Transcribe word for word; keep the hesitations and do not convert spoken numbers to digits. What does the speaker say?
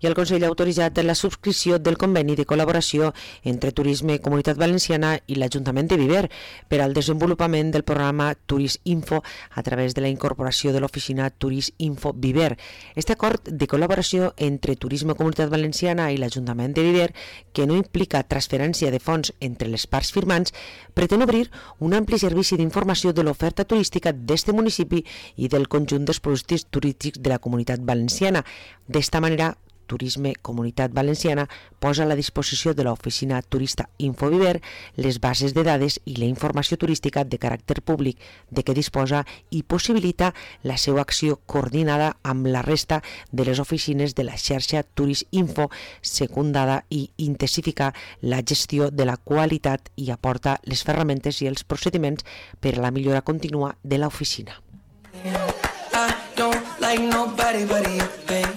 i el Consell ha autoritzat la subscripció del conveni de col·laboració entre Turisme Comunitat Valenciana i l'Ajuntament de Viver per al desenvolupament del programa Turis Info a través de la incorporació de l'oficina Turis Info Viver. Este acord de col·laboració entre Turisme Comunitat Valenciana i l'Ajuntament de Viver, que no implica transferència de fons entre les parts firmants, pretén obrir un ampli servici d'informació de l'oferta turística d'este municipi i del conjunt dels productes turístics de la Comunitat Valenciana. D'esta manera, Turisme Comunitat Valenciana posa a la disposició de l'oficina turista Infoviver les bases de dades i la informació turística de caràcter públic de què disposa i possibilita la seva acció coordinada amb la resta de les oficines de la xarxa Turis Info, secundada i intensificar la gestió de la qualitat i aporta les ferramentes i els procediments per a la millora contínua de l'oficina. I don't like nobody but you.